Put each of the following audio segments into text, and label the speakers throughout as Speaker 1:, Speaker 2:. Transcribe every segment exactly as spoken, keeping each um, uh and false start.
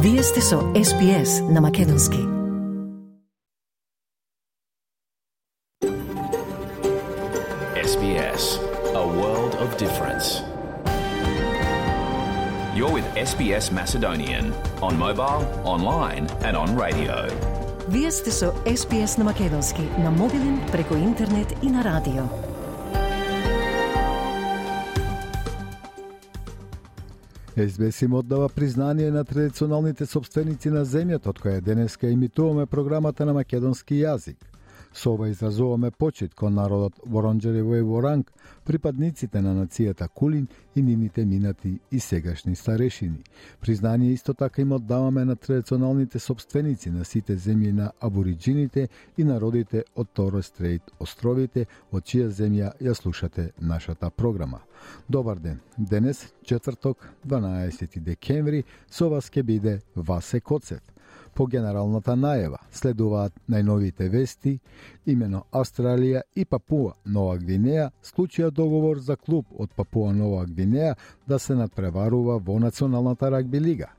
Speaker 1: Вие сте со Ес Би Ес на Македонски.
Speaker 2: Ес Би Ес, a world of difference. You're with Ес Би Ес Macedonian on mobile, online and on radio.
Speaker 1: Вие сте со Ес Би Ес на Македонски, на мобилен, преку интернет и на радио.
Speaker 3: Ес Би Ес им оддава признание на традиционалните собственици на земјата, од која денеска имитуваме програмата на македонски јазик. Со ова изразуваме почит кон народот Воронџериво и Воранг, припадниците на нацијата Кулин и нивните минати и сегашни старешини. Признание исто така им оддаваме на традиционалните собственици на сите земји на абориџините и народите од Торес Стрейт островите, од чија земја ја слушате нашата програма. Добар ден. Денес, четврток, дванаесети декември, со вас ќе биде Васе Коцев. По генералната најава следуваат најновите вести, имено Австралија и Папуа Нова Гвинеја склучија договор за клуб од Папуа Нова Гвинеја да се надпреварува во Националната рагби лига.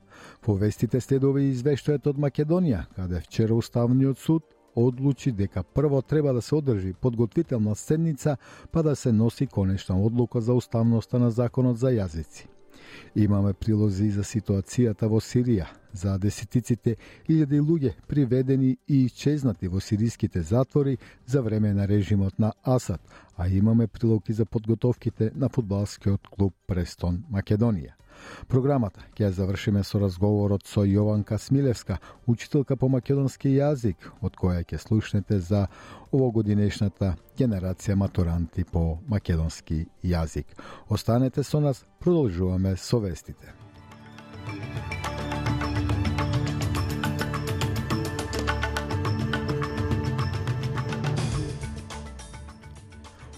Speaker 3: По вестите следува и извештајот од Македонија, каде вчера Уставниот суд одлучи дека прво треба да се одржи подготвителна седница, па да се носи конечна одлука за уставноста на законот за јазици. Имаме прилози за ситуацијата во Сирија, за десетиците илјади луѓе приведени и исчезнати во сириските затвори за време на режимот на Асад, а имаме прилоги за подготовките на фудбалскиот клуб Престон Македонија. Програмата ќе ја завршиме со разговорот со Јованка Смилевска, учителка по македонски јазик, од која ќе слушнете за овогодинешната генерација матуранти по македонски јазик. Останете со нас, продолжуваме со вестите.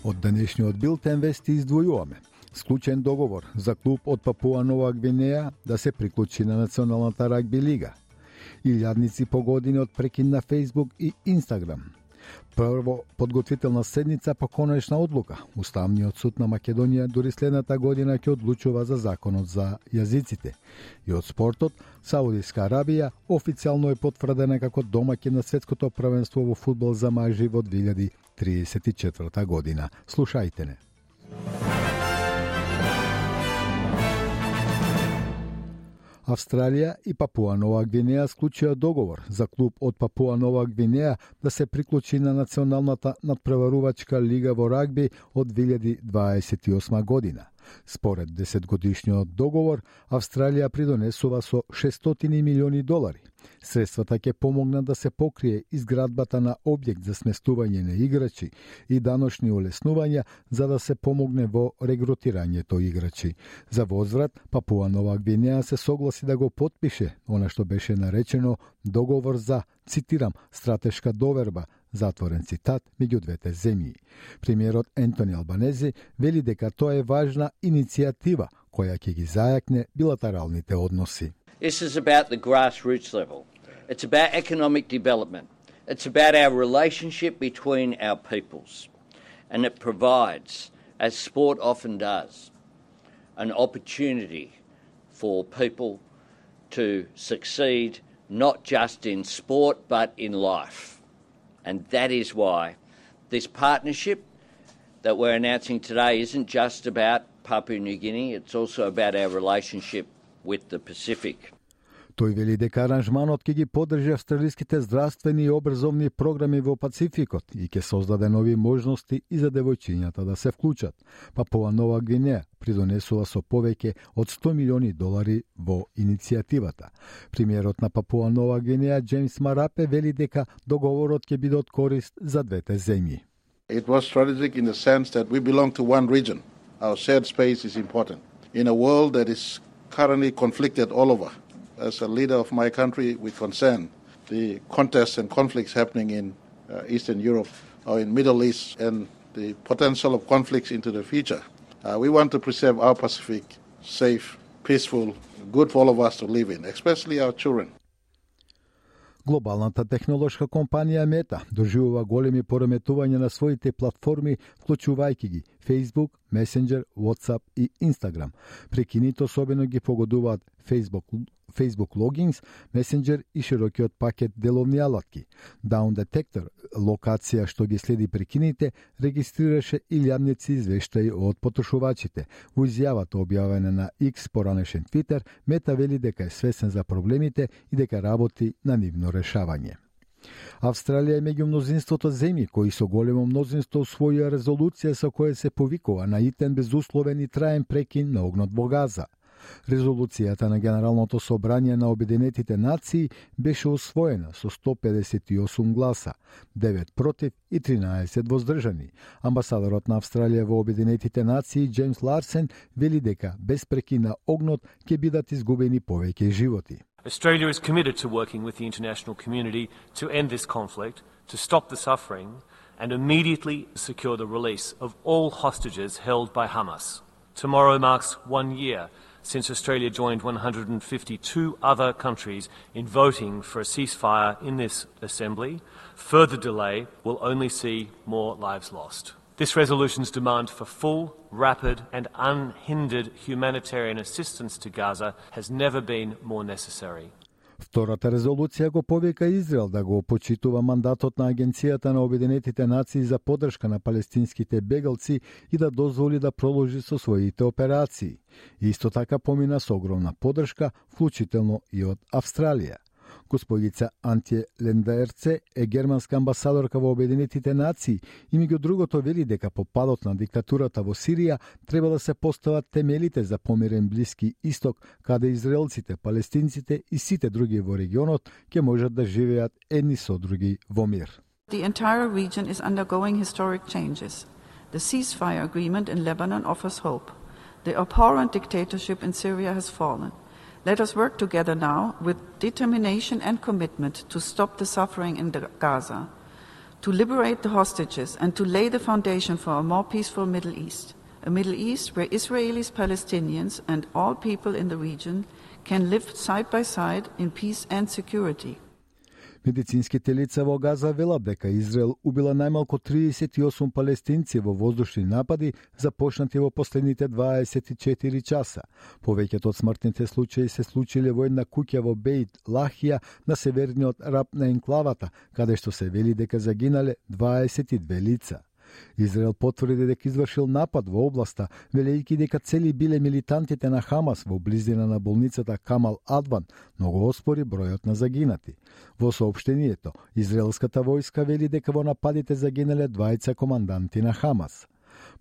Speaker 3: Од денешниот билтен вести издвојуваме склучен договор за клуб од Папуа Нова Гвинеја да се приклучи на Националната рагби лига. Илјадници по години од прекин на Фејсбук и Инстаграм. Прво подготвителна седница по конечна одлука. Уставниот суд на Македонија дури следната година ќе одлучува за законот за јазиците. И од спортот, Саудиска Арабија официјално е потврдена како домаќин на светското првенство во фудбал за мажи во две илјади триесет и четврта година. Слушајте не. Австралија и Папуа Нова Гвинеја склучија договор за клуб од Папуа Нова Гвинеја да се приклучи на Националната надпреварувачка лига во рагби од две илјади дваесет и осма година. Според десетгодишниот договор, Австралија придонесува со шестстотини милиони долари. Средствата ќе помогнат да се покрие изградбата на објект за сместување на играчи и даночни олеснувања за да се помогне во регрутирањето играчи. За возврат, Папуа Нова Гвинеја се согласи да го потпише она што беше наречено договор за, цитирам, стратешка доверба, затворен цитат, меѓу двете земји. Премиерот Ентони Албанези вели дека тоа е важна иницијатива која ќе ги зајакне билатералните односи.
Speaker 4: This is about the grassroots level. It's about economic development. It's about our relationship between our peoples. And it provides, as sport often does, an opportunity for people to succeed not just in sport but in life. And that is why this partnership that we're announcing today isn't just about Papua New Guinea, it's also about our relationship with the Pacific.
Speaker 3: Тој вели дека аранжманот ќе ги поддржи австралиските здравствени и образовни програми во Пацификот и ќе создаде нови можности и за девојчињата да се вклучат. Папуа Нова Гвинеја придонесува со повеќе од сто милиони долари во иницијативата. Премиерот на Папуа Нова Гвинеја Джеймс Марапе вели дека договорот ќе биде од корист за двете земји.
Speaker 5: It was strategic in the sense that we belong to one region. Our shared space is important. In a world that is currently conflicted all over, as a leader of my country, we concern the contests and conflicts happening in uh, Eastern Europe or in Middle East and the potential of conflicts into the future. Uh, we want to preserve our Pacific safe, peaceful, good for all of us to live in, especially our children.
Speaker 3: Глобалната технолошка компанија Мета доживува големи пореметувања на своите платформи, вклучувајќи ги Facebook, Messenger, WhatsApp и Instagram. Прекините особено ги погодуваат Facebook Facebook Logins, Messenger и широкиот пакет деловни алатки. Down Detector, локација што ги следи прекините, регистрираше илјадници извештаи од потрошувачите. Во изјавата објавена на X, поранешен Twitter, Мета вели дека е свесен за проблемите и дека работи на нивно решавање. Австралија е меѓу мнозинството земји кои со големо мнозинство усвоија резолуција со која се повикува на итен безусловен и траен прекин на огнот во Газа. Резолуцијата на Генералното собрание на Обединетите нации беше усвоена со сто педесет и осум гласа, девет против и тринаесет воздржани. Амбасадорот на Австралија во Обединетите нации Джеймс Ларсен вели дека без прекин на огнот ќе бидат изгубени повеќе животи.
Speaker 6: Australia is committed to working with the international community to end this conflict, to stop the suffering, and immediately secure the release of all hostages held by Hamas. Tomorrow marks one year since Australia joined one hundred fifty-two other countries in voting for a ceasefire in this assembly. Further delay will only see more lives lost. This resolution's demand for full, rapid and unhindered humanitarian assistance to Gaza has never been more necessary.
Speaker 3: Втората резолуција го повика Израел да го почитува мандатот на Агенцијата на Обединетите нации за поддршка на палестинските бегалци и да дозволи да продолжи со своите операции. Исто така помина со огромна поддршка, вклучително и од Австралија. Господица Антје Лендаерце е германска амбасадорка во Обединетите нации и меѓу другото вели дека по падот на диктатурата во Сирија треба да се постават темелите за помирен Блиски Исток, каде израелците, палестинците и сите други во регионот ќе можат да живеат едни со други во мир.
Speaker 7: The entire region is undergoing historic changes. The ceasefire agreement in Lebanon offers hope. The abhorrent dictatorship in Syria has fallen. Let us work together now with determination and commitment to stop the suffering in Gaza, to liberate the hostages and to lay the foundation for a more peaceful Middle East, a Middle East where Israelis, Palestinians and all people in the region can live side by side in peace and security.
Speaker 3: Медицинските лица во Газа велат дека Израел убила најмалку триесет и осум палестинци во воздушни напади започнати во последните дваесет и четири часа. Повеќето од смртните случаи се случиле во една куќа во Бейт Лахија на северниот раб на енклавата, каде што се вели дека загинале дваесет и две лица. Израел потврди дека извршил напад во областа, велејќи дека цели биле милитантите на Хамас во близина на болницата Камал Адван, но го оспори бројот на загинати. Во соопштението, израелската војска вели дека во нападите загинале двајца команданти на Хамас.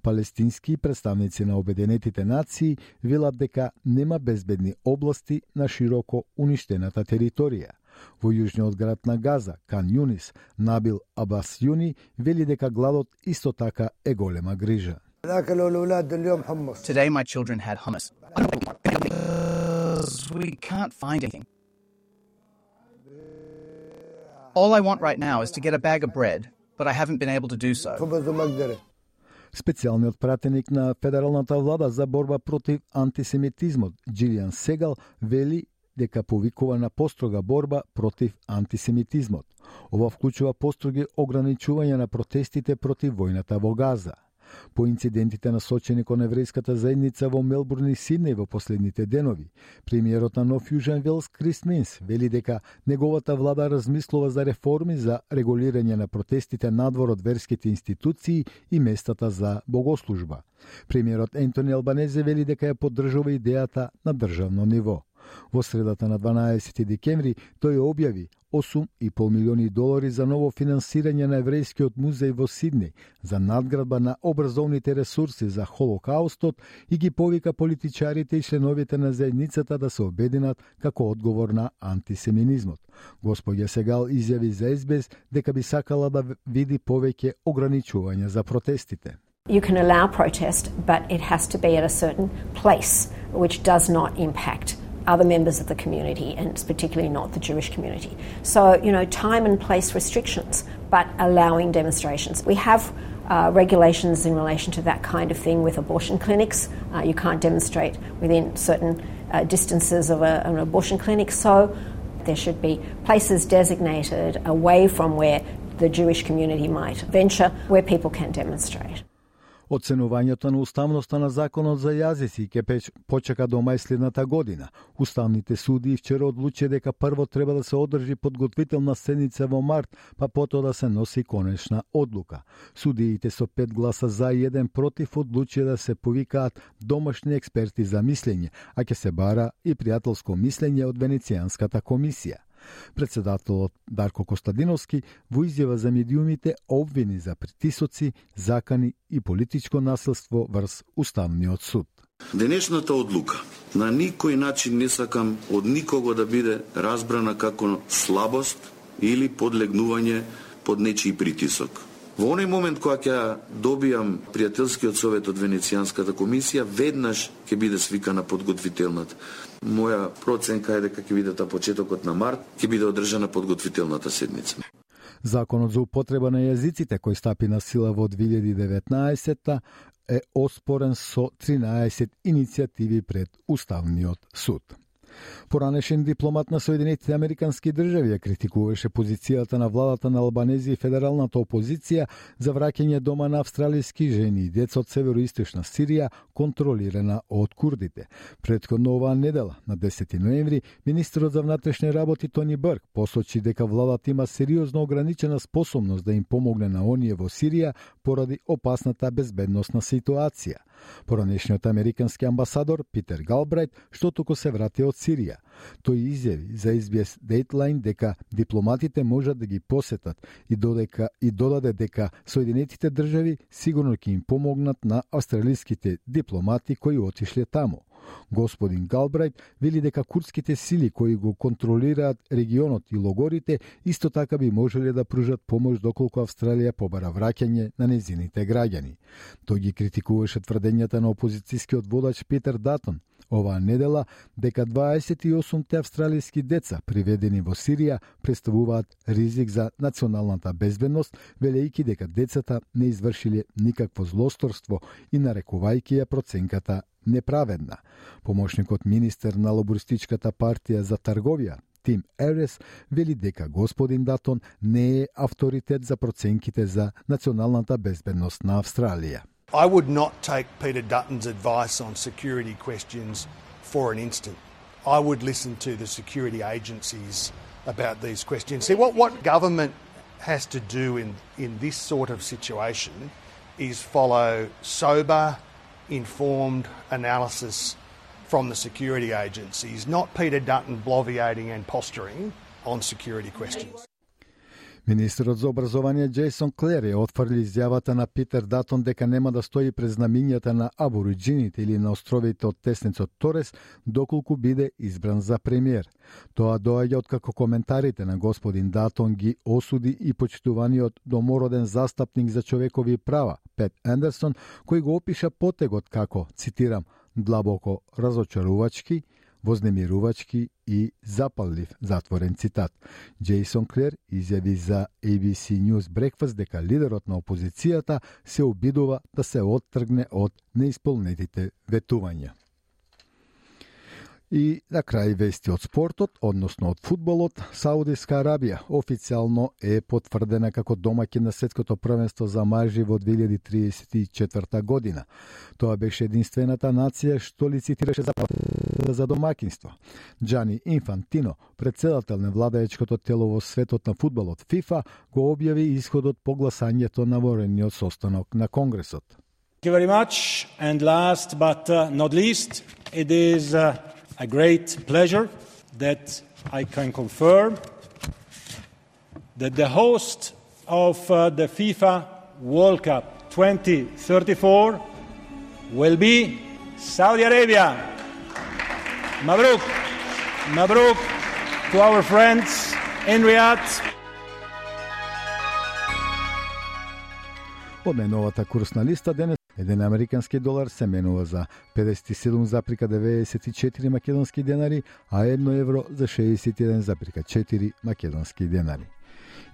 Speaker 3: Палестински представници на Обединетите нации велат дека нема безбедни области на широко уништената територија. Во јужниот град на Газа, Кан Јунис, Набил Абас Јуни вели дека гладот исто така е голема грижа.
Speaker 8: Today my children had hummus. We can't find anything. All I want right now is to get a bag of bread, but I haven't been able to do so.
Speaker 3: Специјалниот пратеник на федералната влада за борба против антисемитизмот, Джилијан Сегал, вели дека повикува на построга борба против антисемитизмот. Ова вклучува построги ограничување на протестите против војната во Газа. По инцидентите насочени кон еврејската заедница во Мелбурн и Сиднеј во последните денови, премиерот на Нов Јужен Велс Крис Минс вели дека неговата влада размислува за реформи за регулирање на протестите надвор од верските институции и местата за богослужба. Премиерот Ентони Албанезе вели дека ја поддржува идејата на државно ниво. Во средата на дванаесети декември тој објави осум и пол милиони долари за ново финансирање на еврејскиот музеј во Сиднеј, за надградба на образовните ресурси за Холокаустот и ги повика политичарите и членовите на заедницата да се обединат како одговор на антисеминизмот. Господја Сегал изјави за Ес Би Ес дека би сакала да види повеќе ограничувања за протестите.
Speaker 9: You can allow protest, but it has to be at a certain place which does not impact other members of the community, and it's particularly not the Jewish community. So, you know, time and place restrictions, but allowing demonstrations. We have uh, regulations in relation to that kind of thing with abortion clinics. Uh, you can't demonstrate within certain uh, distances of a, an abortion clinic. So there should be places designated away from where the Jewish community might venture, where people can demonstrate.
Speaker 3: Оценувањето на уставноста на законот за јазици ќе почека до мај следната година. Уставните суди вчера одлучија дека прво треба да се одржи подготвителна седница во март, па потоа да се носи конечна одлука. Судиите со пет гласа за и еден против одлучија да се повикаат домашни експерти за мислење, а ќе се бара и пријателско мислење од Венецијанската комисија. Председателот Дарко Костадиновски во изјава за медиумите обвини за притисоци, закани и политичко насилство врз Уставниот суд.
Speaker 10: Денешната одлука на никој начин не сакам од никого да биде разбрана како слабост или подлегнување под нечiji притисок. Во оној момент кога ќе добијам пријателскиот совет од Венецијанската комисија, веднаш ќе биде свикана подготвителната. Моја проценка е дека ќе биде та почетокот на март, ќе биде одржана подготвителната седница.
Speaker 3: Законот за употреба на јазиците кој стапи на сила во две илјади и деветнаесетта е оспорен со тринаесет иницијативи пред Уставниот суд. Поранешен дипломат на Соединетите Американски држави ја критикуваше позицијата на владата на Албанези и федералната опозиција за враќање дома на австралиски жени и деца од североисточна Сирија, контролирана од курдите. Претходно оваа недела, на десети ноември, министерот за внатрешни работи Тони Брк посочи дека владата има сериозно ограничена способност да им помогне на оние во Сирија поради опасната безбедносна ситуација. Поранешниот американски амбасадор Питер Галбрајт, што току се врати од Сирија. Тој изјави за Ес Би Ес Дејтлайн дека дипломатите можат да ги посетат и додека и додаде дека Соединетите држави сигурно ќе им помогнат на австралиските дипломати кои отишле таму. Господин Галбрајт вели дека курдските сили кои го контролираат регионот и логорите исто така би можеле да пружат помош доколку Австралија побара враќање на незините граѓани. Тој ги критикуваше тврдењата на опозицијскиот водач Питер Датон оваа недела дека дваесет и осумте австралиски деца приведени во Сирија представуваат ризик за националната безбедност, велејќи дека децата не извршиле никакво злосторство и нарекувајќи ја проценката неправедна. Помошникот министер на лабористичката партија за трговија Тим Ерес вели дека господин Датон не е авторитет за проценките за националната безбедност на Австралија.
Speaker 11: I would not take Peter Dutton's advice on security questions for an instant. I would listen to the security agencies about these questions. See, what, what government has to do in, in this sort of situation is follow sober, informed analysis from the security agencies, not Peter Dutton bloviating and posturing on security questions.
Speaker 3: Министерот за образование Джейсон Клер ја отфрли изјавата на Питер Датон дека нема да стои пред знамињата на абориджините или на островите од теснецот Торес доколку биде избран за премиер. Тоа доаѓа откако коментарите на господин Датон ги осуди и почитуваниот домороден застапник за човекови права Пет Андерсон, кој го опиша потегот како, цитирам, длабоко разочарувачки, вознемирувачки и запаллив, затворен цитат. Джейсон Клер изјави за Ей Би Си News Breakfast дека лидерот на опозицијата се обидува да се оттргне од неисполнетите ветувања. И на крај вести од спортот, односно од фудбалот, Саудиска Арабија официјално е потврдена како домаќин на светското првенство за мажи во две илјади триесет и четврта година. Тоа беше единствената нација што лицитираше за, за домакинство. Џани Инфантино, председател на владаечкото тело во светот на фудбалот ФИФА, го објави исходот по гласањето на воениот состанок на Конгресот.
Speaker 12: Thank you very much. And last but uh, not least, it is uh, a great pleasure that I can confirm that the host of uh, the FIFA World Cup twenty thirty-four will be Saudi Arabia. Mabruk. Mabruk to our friends in Riyadh.
Speaker 3: Од најновата курсна листа денес еден американски долар се менува за педесет и седум зарез деветдесет и четири македонски денари, а едно евро за шеесет и еден зарез четири македонски денари.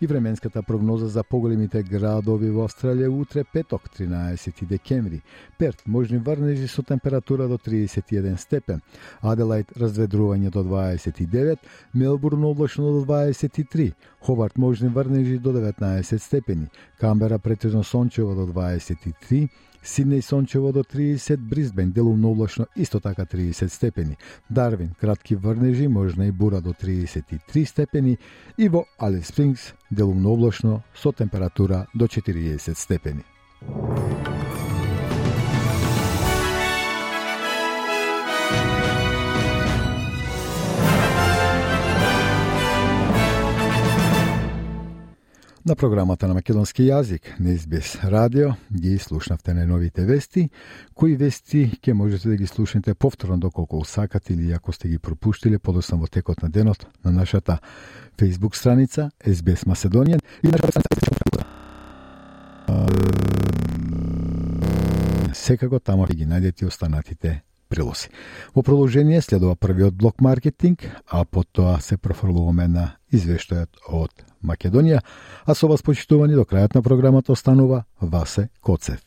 Speaker 3: И временската прогноза за поголемите градови во Австралија утре петок, тринаесети декември. Перт можни врнежи со температура до триесет и еден степен, Аделајд разведрување до дваесет и девет, Мелбурн облачно до дваесет и три, Хобарт можни врнежи до деветнаесет степени, Камбера претежно сончево до дваесет и три, Сиднеј сончево до триесет, Брисбен делумно облачно исто така триесет степени, Дарвин кратки врнежи, можна и бура до триесет и три степени и во Алис Спрингс делумно облачно со температура до четириесет степени. На програмата на македонски јазик на Ес Би Ес радио ги слушнавте најновите вести, кои вести ќе можете да ги слушнете повторно доколку сакате или ако сте ги пропуштиле подоцна во текот на денот на нашата Facebook страница Ес Би Ес Macedonian и нашата страница. Секако тамо ги најдете останатите прилози. Во продолжение следува првиот блок маркетинг, а потоа се профрлуваме на извештајот од Македонија, а со вас почитувани до крајот на програмата останува Васе Коцев.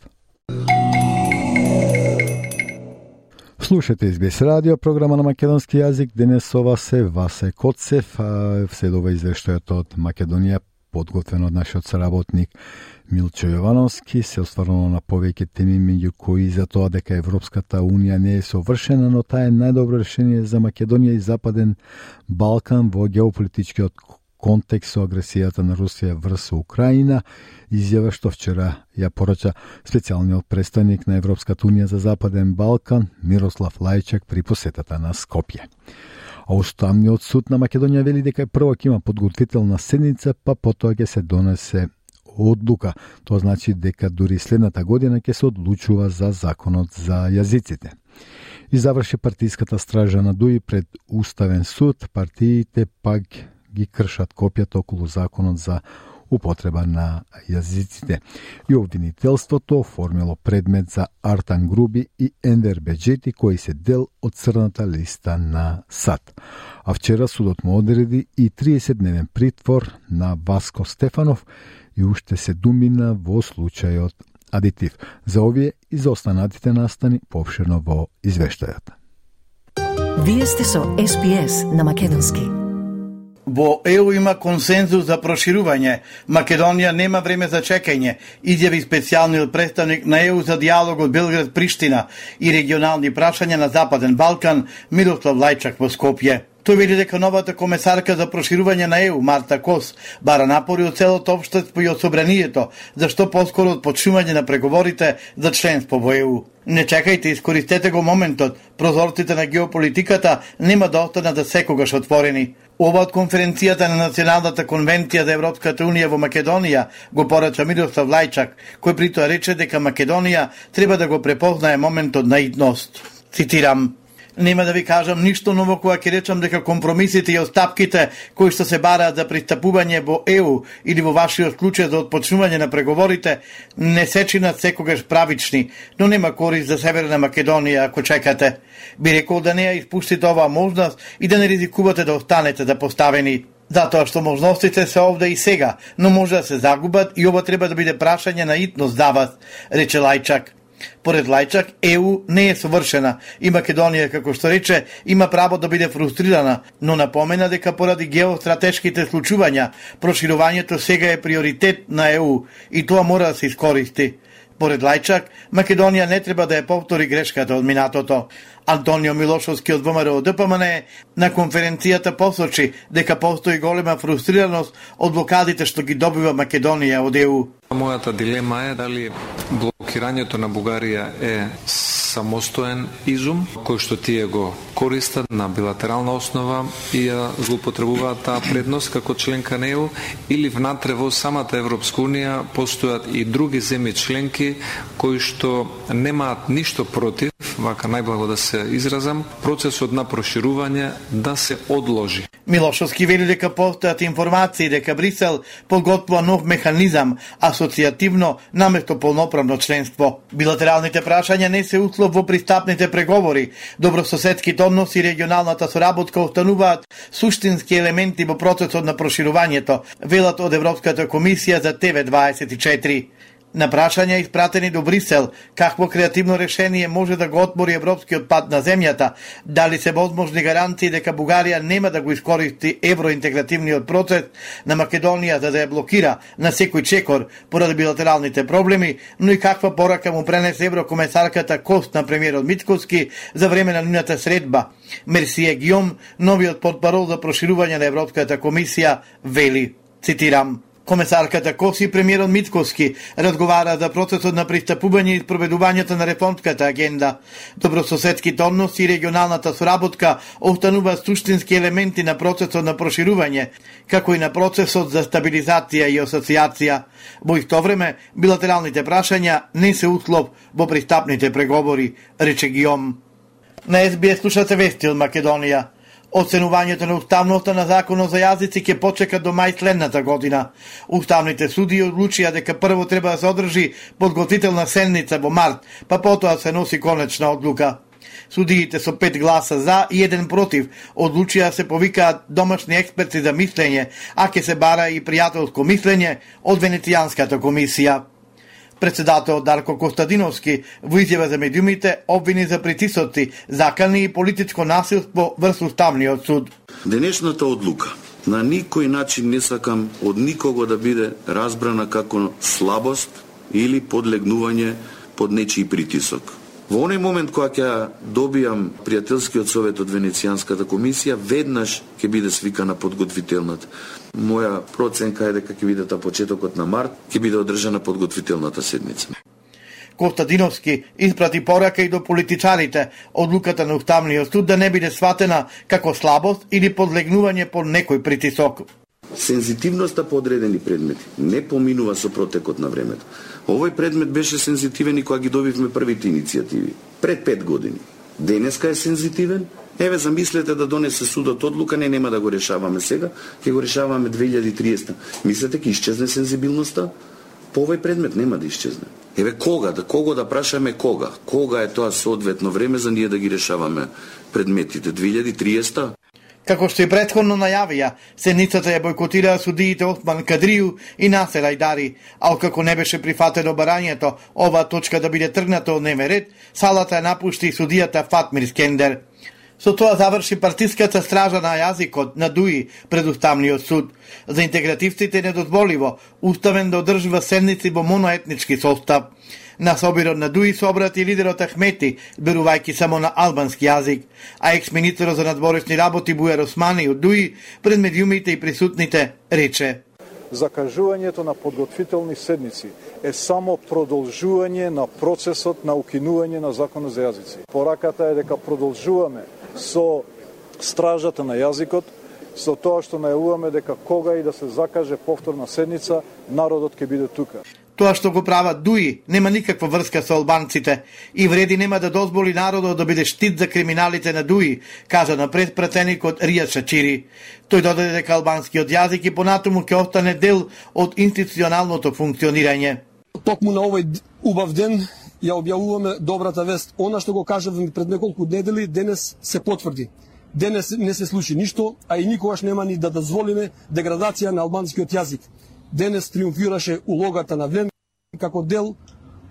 Speaker 3: Слушате Ес Би Ес радио, програма на македонски јазик. Денес со вас е Васе Коцев, а следува извештајот од Македонија, подготвен од нашиот соработник Милчо Јовановски, се осврнало на повеќе теми, меѓу кои за тоа дека Европската Унија не е совршена, но таа е најдобро решение за Македонија и Западен Балкан во геополитичкиот контекст со агресијата на Русија врз Украина, изјава што вчера ја порача специјалниот представник на Европската Унија за Западен Балкан Мирослав Лајчак при посетата на Скопје. А Уставниот суд на Македонија вели дека прво ќе има подготвителна седница, па потоа ќе се донесе одлука. Тоа значи дека дури следната година ќе се одлучува за законот за јазиците. И заврши партиската стража на Дуи пред Уставен суд, партиите пак ги кршат копјата околу законот за употреба на јазиците. И обвинителството оформило предмет за Артан Груби и Енвер Беџети, кои се дел од црната листа на САД. А вчера судот му одреди и триесетдневен притвор на Васко Стефанов и уште се думина во случајот адитив. За овие и за останатите настани поопширно во извештајот.
Speaker 1: Вие сте со Ес Би Ес на македонски.
Speaker 13: Во Е У има консензус за проширување. Македонија нема време за чекање, изјави специјалниот представник на Е У за дијалогот Белград-Приштина и регионални прашања на Западен Балкан Мирослав Лајчак во Скопје. Тој вели дека новата комесарка за проширување на Е У, Марта Кос, бара напори од целото општество и од собранието, за што поскоро од почнување на преговорите за членство во Е У. Не чекајте, искористете го моментот, прозорците на геополитиката нема да останат за секогаш отворени. Ова од конференцијата на Националната конвенција за Европската Унија во Македонија го порача Мирослав Лајчак, кој при тоа рече дека Македонија треба да го препознае моментот на идност. Цитирам: Нема да ви кажам ништо ново кога ќе речам дека компромисите и остапките кои што се бараат за пристапување во Е У или во вашиот случај за отпочнување на преговорите не се чинат секогаш правични, но нема корист за Северна Македонија ако чекате. Би рекол да не ја испуштите оваа можност и да не ризикувате да останете да поставени. Затоа што можностите се овде и сега, но може да се загубат и ова треба да биде прашање на итност за вас, рече Лајчак. Поред Лајчак, Е У не е совршена и Македонија, како што рече, има право да биде фрустрирана, но напомена дека поради геостратешките случувања, проширувањето сега е приоритет на Е У и тоа мора да се искористи. Поред Лајчак, Македонија не треба да ја повтори грешката од минатото. Антонио Милошовски од Во Ем Ер О Д П М Н на конференцијата посочи дека постои голема фрустрираност од блокадите што ги добива Македонија од Е У.
Speaker 14: Мојата дилема е дали блокирањето на Бугарија е самостоен изум, кој што тие го користат на билатерална основа и ја злоупотребуваат таа предност како членка на Е У, или внатре во самата Европска Унија постојат и други земји членки кои што немаат ништо против, вака најблаго да се изразам, процесот на проширување да се одложи.
Speaker 13: Милошовски вели дека постојат информации дека Брисел подготвува нов механизам асоцијативно наместо полноправно членство. Билатералните прашања не се услов во пристапните преговори. Добрососедските односи и регионалната соработка остануваат суштински елементи во процесот на проширувањето, велат од Европската комисија за Т В дваесет и четири. На прашања испратени до Брисел, какво креативно решение може да го отмори европскиот пат на земјата, дали се возможни гаранции дека Бугарија нема да го искористи евроинтегративниот процес на Македонија за да ја блокира на секој чекор поради билатералните проблеми, но и каква порака му пренесе еврокомесарката Кост на премиерот Мицкоски за време на нивната средба. Мерсие Гиом, новиот портпарол за проширување на Европската комисија, вели, цитирам: Комесарката Коси и премиерот Мицкоски разговара за процесот на пристапување и спроведувањето на реформската агенда. Добрососедските односи и регионалната соработка остануваат суштински елементи на процесот на проширување, како и на процесот за стабилизација и асоциација. Во исто време, билатералните прашања не се услов во пристапните преговори, рече Гиом. На Ес Би Ес слушате вести од Македонија. Оценувањето на уставноста на законот за јазици ќе почека до мај следната година. Уставните судии одлучија дека прво треба да се одржи подготвителна седница во март, па потоа се носи конечна одлука. Судиите со пет гласа за и еден против одлучија да се повикаат домашни експерти за мислење, а ќе се бара и пријателско мислење од Венецијанската комисија. Председател Дарко Костадиновски во изјава за медиумите обвини за притисоци, закани и политичко насилство врз Уставниот суд.
Speaker 10: Денешната одлука на никој начин не сакам од никого да биде разбрана како слабост или подлегнување под нечiji притисок. Во оној момент кога ќе добијам пријателскиот совет од Венецијанската комисија, веднаш ќе биде свикана подготвителната. Моја проценка е дека ќе биде та почетокот на март, ќе биде одржана подготвителната седница.
Speaker 13: Костадиновски испрати порака и до политичарите одлуката на Уставниот суд да не биде сватена како слабост или подлегнување под некој притисок.
Speaker 10: Сензитивноста по одредени предмети не поминува со протекот на времето. Овој предмет беше сензитивен и кога ги добивме првите иницијативи, пред пет години. Денеска е сензитивен. Еве, замислете да донесе судот одлука, не нема да го решаваме сега, ќе го решаваме две илјади и триесета. Мислете ќе исчезне сензибилноста? По овој предмет нема да исчезне. Еве, кога, да кого да прашаме кога? Кога е тоа соодветно време за ние да ги решаваме предметите? две илјади и триесета?
Speaker 13: Како што и претходно најавија, седницата ја бойкотираа судиите Осман Кадрију и Насер Ајдари, а откако не беше прифатено барањето оваа точка да биде тргната од дневен ред, салата ја напушти судијата Фатмир Скендер. Со тоа заврши партиската стража на јазикот на Дуи пред Уставниот суд. За интегративците недозволиво уставен да одржува седници во моноетнички состав. На собирот на Дуи се обрати лидерот Ахмети, зборувајќи само на албански јазик, а екс-министерот за надворешни работи Бујар Османи од Дуи пред медиумите и присутните рече:
Speaker 15: Закажувањето на подготвителни седници е само продолжување на процесот на укинување на законот за јазици. Пораката е дека продолжуваме со стражата на јазикот, со тоа што најавуваме дека кога и да се закаже повторна седница, народот ќе биде тука.
Speaker 13: Тоа што го прават Дуи нема никаква врска со албанците и вреди нема да дозволи народот да биде штит за криминалите на Дуи, кажа на предпратеникот Ријад Шачири. Тој додаде дека албанскиот јазик и понатаму ќе остане дел од институционалното функционирање.
Speaker 16: Токму на овој убав ден ја објавуваме добрата вест. Она што го кажавме пред неколку недели, денес се потврди. Денес не се случи ништо, а и никогаш нема ни да дозволиме деградација на албанскиот јазик. Денес триумфираше улогата на ВН како дел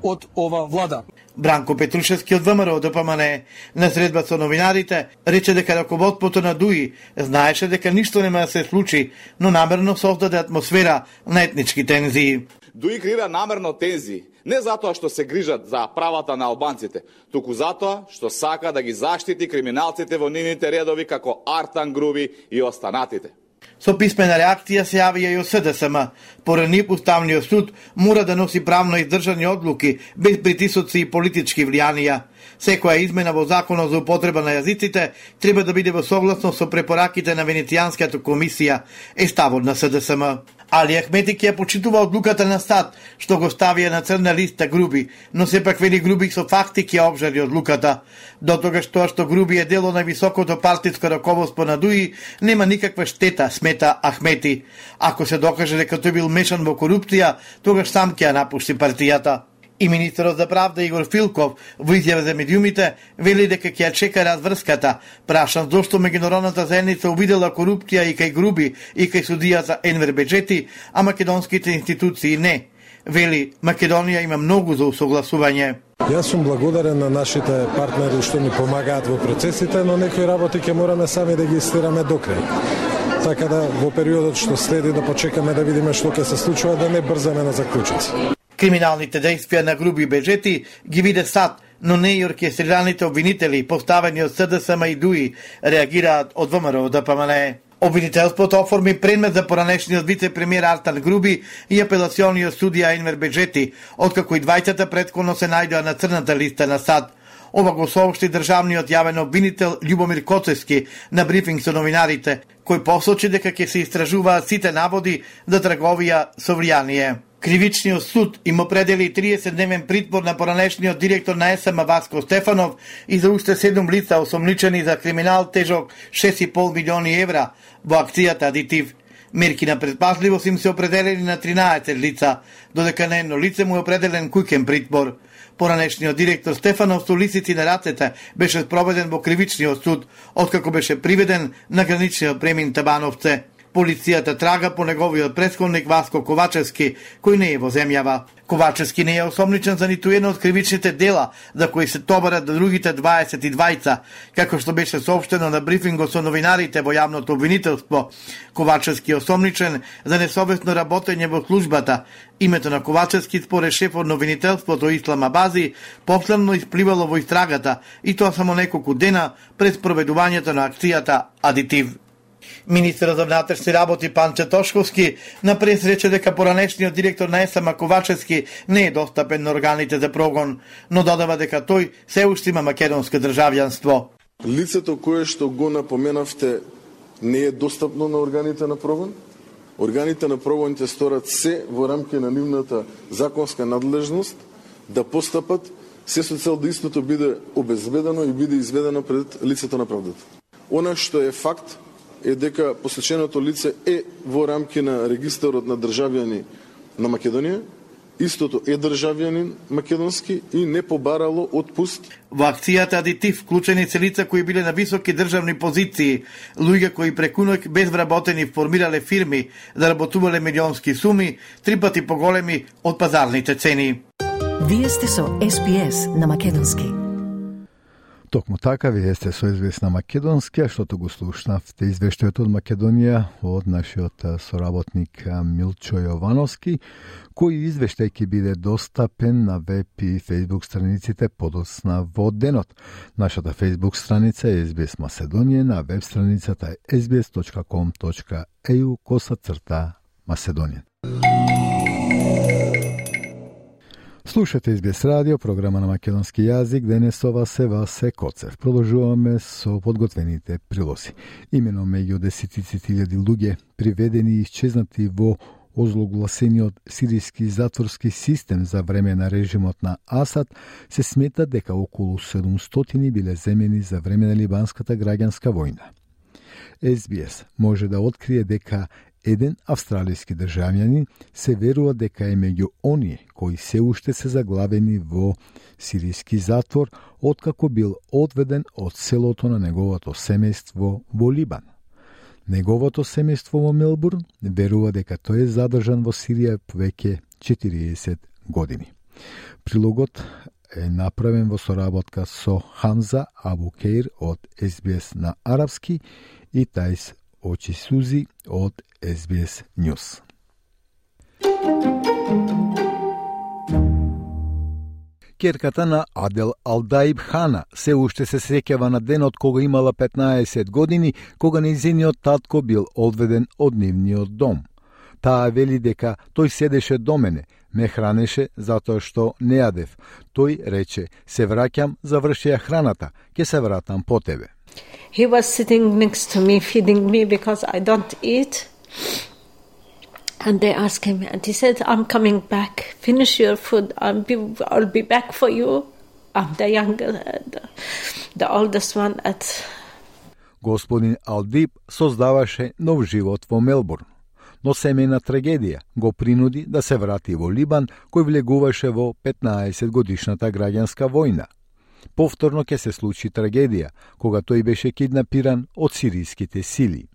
Speaker 16: од ова влада.
Speaker 13: Бранко Петрушевски од ВМРО Д П М Н на средба со новинарите рече дека раководството на Дуи знаеше дека ништо нема да се случи, но намерно создаде атмосфера на етнички тензии.
Speaker 17: Дуи креира намерно тензии, не затоа што се грижат за правата на албанците, туку затоа што сака да ги заштити криминалците во нивните редови како Артан Груби и останатите.
Speaker 13: Со писмена реакција се јавија и од С Д С М. Поред нив Уставниот суд мора да носи правно издржани одлуки без притисоци и политички влијанија. Секоја измена во законот за употреба на јазиците треба да биде во согласно со препораките на Венецијанската комисија, е ставот на С Д С М. Али Ахмети ќе ја почитува одлуката на САД, што го ставија на црна листа Груби, но сепак вели Груби со факти ќе обжали одлуката. До тогаш тоа што Груби е дел од највисокото партиско раководство на Дуи, нема никаква штета, смета Ахмети. Ако се докаже дека тој бил мешан во корупција, тогаш сам ќе ја напушти партијата. И министерот за правда Игор Филков во изјава за медиумите вели дека ќе ја чека разврската, прашан зошто меѓународната заедница увидела корупција и кај Груби и кај судијата Енвер Беџети, а македонските институции не. Вели, Македонија има многу за усогласување.
Speaker 18: Јас сум благодарен на нашите партнери што ни помагаат во процесите, но некои работи ќе мораме сами да ги истераме до крај. Така да во периодот што следи да почекаме да видиме што ќе се случува, да не брзаме на заклучоци.
Speaker 13: Криминалните действија на Груби Бежети ги виде САД, но не и оркестрираните обвинители, поставени од СДСМ и ДУИ, реагираат од ВМРО Д П М Н. Обвинителството оформи предмет за поранешниот вице-премиер Артан Груби и апелациониот судија Енвер Бежети, откако и двајцата претходно се најдоа на црната листа на САД. Ова го соопшти државниот јавен обвинител Љубомир Коцевски на брифинг со новинарите, кој посочи дека ќе се истражуваат сите наводи за трговија со влијание. Кривичниот суд им определи триесетдневен притвор на поранешниот директор на Е С М Васко Стефанов и за уште седум лица осомничени за криминал тежок шест и пол милиони евра во акцијата Адитив. Мерки на предпазливост им се определени на тринаесет лица, додека на едно лице му е определен куќен притвор. Поранешниот директор Стефанов со лисици на рацете беше спроведен во кривичниот суд, откако беше приведен на граничниот премин Табановце. Полицијата трага по неговиот претходник Васко Ковачевски, кој не е во земјава. Ковачевски не е осомничен за ниту едно од кривичните дела за кои се товарат другите дваесет и двајца, како што беше соопштено на брифингот со новинарите во јавното обвинителство. Ковачевски е осомничен за несовесно работење во службата. Името на Ковачевски според шефот на обвинителството Ислам Абази последно испливало во истрагата, и тоа само неколку дена пред проведувањето на акцијата Адитив. Министерот за внатрешни работи Панче Тошковски на прес рече дека поранешниот директор на Е С М Ковачевски не е достапен на органите за прогон, но додава дека тој се уште има македонско државјанство.
Speaker 19: Лицето кое што го напоменавте не е достапно на органите на прогон. Органите на прогоните сторат се во рамки на нивната законска надлежност да постапат се со цел да истото биде обезбедено и биде изведено пред лицето на правдата. Она што е факт е дека посеченото лице е во рамки на регистарот на државјани на Македонија, истото е државјанин македонски и не побарало отпуст.
Speaker 13: Во акцијата Адитив вклучени се лица кои биле на високи државни позиции, луѓе кои преку ноќ без вработени формирале фирми да работувале милионски суми, три пати поголеми од пазарните цени.
Speaker 1: Вие сте со С Б С на македонски.
Speaker 3: Токму така, вие сте со С Б С на македонски, а штото го слушнавте извештајот од Македонија од нашиот соработник Милчо Јовановски, кој извештај ќе биде достапен на веб и фејсбук страниците подоцна во денот. Нашата фејсбук страница е С Б С Macedonија, на веб страницата е ес би ес точка ком точка е ю коса црта Macedonија. Слушате С Б С радио, програма на македонски јазик, денес со вас е Васе Коцев. Продолжуваме со подготвените прилози. Имено меѓу десетици илјади луѓе приведени и исчезнати во озлогласениот сиријски затворски систем за време на режимот на Асад, се смета дека околу седумстотини биле земени за време на либанската граѓанска војна. С Б С може да открие дека еден австралиски државјанин се верува дека е меѓу оние кои се уште се заглавени во сиријски затвор откако бил одведен од селото на неговото семејство во Либан. Неговото семејство во Мелбурн верува дека тој е задржан во Сирија веќе четириесет години. Прилогот е направен во соработка со Хамза Абукеир од С Б С на арапски и Тајс Очи Сузи од С Б С News. Керката на Адел Алдаиб Хана се уште се сеќава на денот кога имала петнаесет години, кога нејзиниот татко бил одведен од нивниот дом. Таа вели дека тој седеше до мене, ме хранеше затоа што не јадев. Тој рече, се враќам, завршија храната, ќе се вратам по тебе.
Speaker 20: He was sitting next to me, feeding me because I don't eat. And they asked him, and he said, I'm coming back. Finish your food. I'll be, I'll be back for you. I'm the younger, the, the oldest one at...
Speaker 3: Господин Алдиб создаваше нов живот во Мелбурн, но семејна трагедија го принуди да се врати во Либан, кој влегуваше во петнаесет годишната граѓанска војна. Повторно ќе се случи трагедија, кога тој беше киднапиран од сиријските сили.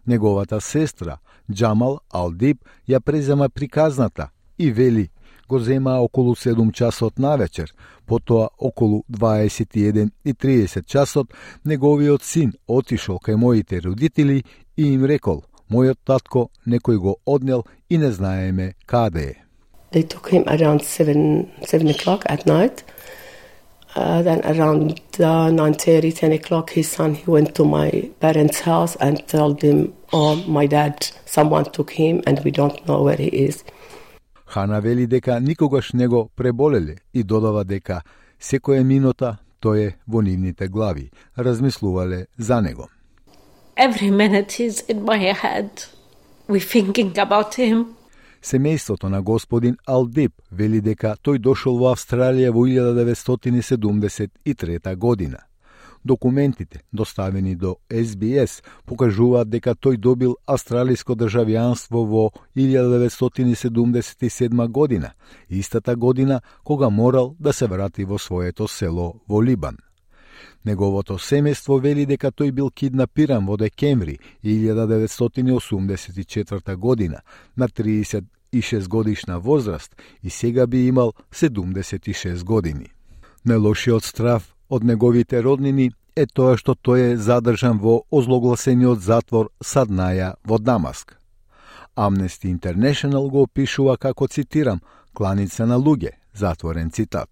Speaker 3: Неговата сестра, Џамал Алдиб, ја презема приказната и вели, го зема околу седум часот навечер. Потоа, околу дваесет и еден и триесет часот, неговиот син отишол кај моите родители и им рекол: мојот татко некој го однел и не знаеме каде е.
Speaker 21: They took him around seven, seven o'clock at night. Uh, then around uh, nine thirty, ten o'clock, his son, he went to my parents' house and told them, oh, my dad, someone took him and we don't know where he is.
Speaker 3: Хана вели дека никогаш не го преболеле и додава дека секоја минута тој е во нивните глави, размислувале за него.
Speaker 20: Every minute he's in my head. We're thinking about him.
Speaker 3: Семејството на господин Алдип вели дека тој дошол во Австралија во илјада деветстотини седумдесет и трета година. Документите, доставени до Ес Би Ес, покажуваат дека тој добил австралиско државјанство во илјада деветстотини седумдесет и седма година, истата година кога морал да се врати во своето село во Либан. Неговото семејство вели дека тој бил киднапиран во декември илјада деветстотини осумдесет и четврта година на триесет и шест годишна возраст и сега би имал седумдесет и шест години. Најлошиот страв од неговите роднини е тоа што тој е задржан во озлогласениот затвор Саднаја во Дамаск. Amnesty International го опишува како, цитирам, кланица на луѓе, затворен цитат.